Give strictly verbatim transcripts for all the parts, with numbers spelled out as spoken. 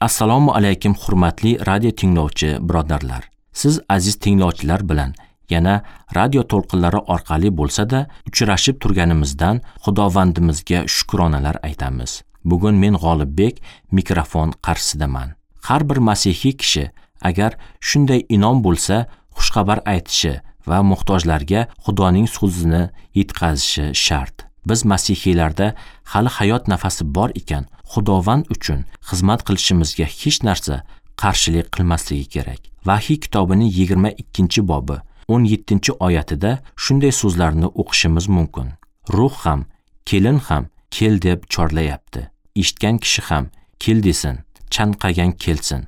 Assalomu alaykum hurmatli radio tinglovchi birodarlar. Siz aziz tinglovchilar bilan yana radio to'lqinlari orqali bo'lsa-da uchrashib turganimizdan Xudovandimizga shukronalar aytamiz. Bugun men G'olibbek mikrofon qarshisidaman. Har bir masihiy kishi agar shunday inom bo'lsa, xushxabar aytishi va muhtojlarga Xudoning so'zini yetkazishi shart. Biz masihiylarda hali hayot nafasi bor ekan, Xudovand uchun xizmat qilishimizga hech narsa qarshilik qilmasligi kerak. Vahiy kitobining yigirma ikkinchi bobi o'n yettinchi oyatida shunday so'zlarni o'qishimiz mumkin. Ruh ham, kelin ham kel deb chorlayapti. Eshitgan kishi ham kel desin, chanqagan kelsin,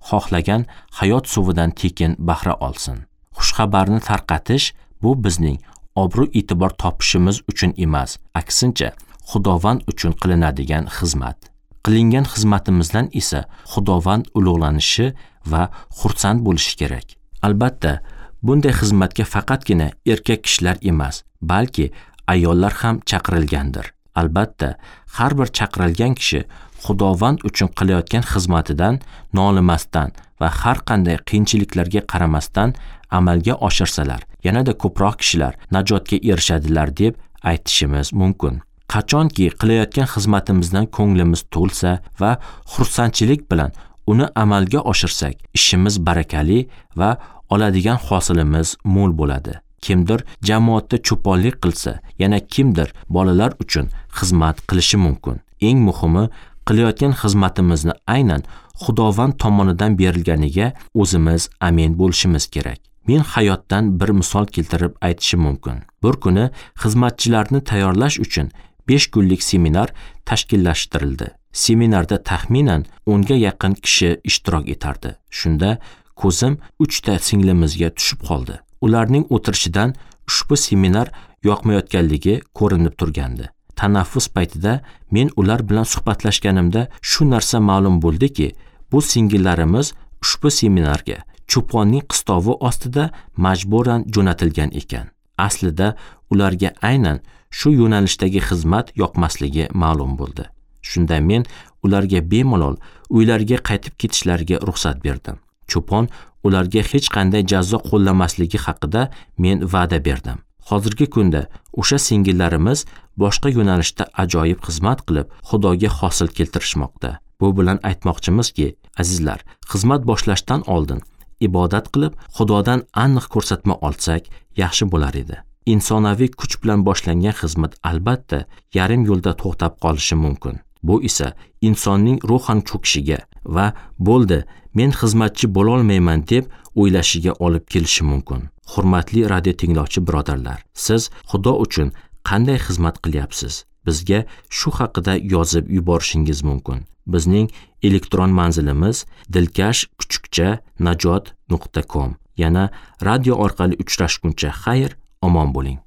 xohlagan hayot suvidan tekin bahra olsin. Xushxabarni tarqatish bu bizning obro' e'tibor topishimiz uchun emas, aksincha Xudovand uchun qilinadigan xizmat. Qilingan xizmatimizdan esa Xudovand ulug'lanishi va xursand bo'lishi kerak. Albatta, bunday xizmatga faqatgina erkak kishilar emas, balki ayollar ham chaqirilgandir. Albatta, har bir chaqirilgan kishi Xudovand uchun qilayotgan xizmatidan nolimasdan va har qanday qiyinchiliklarga qaramasdan amalga oshirsalar, yanada ko'proq kishilar najotga erishadilar deb aytishimiz mumkin. Qachonki qilayotgan xizmatimizdan ko'nglimiz to'lsa va xursandchilik bilan uni amalga oshirsak, ishimiz barakali va oladigan hosilimiz mo'l bo'ladi. Kimdir jamoatda cho'ponlik qilsa, yana kimdir bolalar uchun xizmat qilishi mumkin. Eng muhimi, qilayotgan xizmatimizni aynan Xudovand tomonidan berilganiga o'zimiz amin bo'lishimiz kerak. Men hayotdan bir misol keltirib aytishim mumkin. Bir kuni xizmatchilarni tayyorlash uchun besh kunlik seminar tashkillashtirildi. Seminarda taxminan o'nga yaqin kishi ishtirok etardi. Shunda ko'zim uchta singlimizga tushib qoldi. Ularning o'tirishidan ushbu seminar yoqmayotganligi ko'rinib turgandi. Tanaffus paytida men ular bilan suhbatlashganimda shu narsa ma'lum bo'ldiki, bu singillarimiz ushbu seminarga cho'ponning qistovi ostida majburan jo'natilgan ekan. Aslida ularga aynan shu yo'nalishdagi xizmat yoqmasligi ma'lum bo'ldi. Shunda men ularga bemalol uylariga qaytib ketishlariga ruxsat berdim. Cho'pon ularga hech qanday jazo qo'llamasligi haqida men va'da berdim. Hozirgi kunda o'sha singillarimiz boshqa yo'nalishda ajoyib xizmat qilib, Xudoga hosil keltirishmoqda. Bu bilan aytmoqchimizki, azizlar, xizmat boshlashdan oldin ibodat qilib, Xudodan aniq ko'rsatma olsak yaxshi bo'lar edi. Insonaviy kuch bilan boshlangan xizmat albatta yarim yo'lda to'xtab qolishi mumkin. Bu esa insonning ruhan cho'kishiga va bo'ldi, men xizmatchi bo'lolmayman deb o'ylashiga olib kelishi mumkin. Hurmatli radio tinglovchi birodarlar, siz Xudo uchun qanday xizmat qilyapsiz? Bizga shu haqida yozib yuborishingiz mumkin. Bizning elektron manzilimiz dilkash kuchukcha najot nuqta com. Yana radio orqali uchrashguncha xayr, omon bo'ling.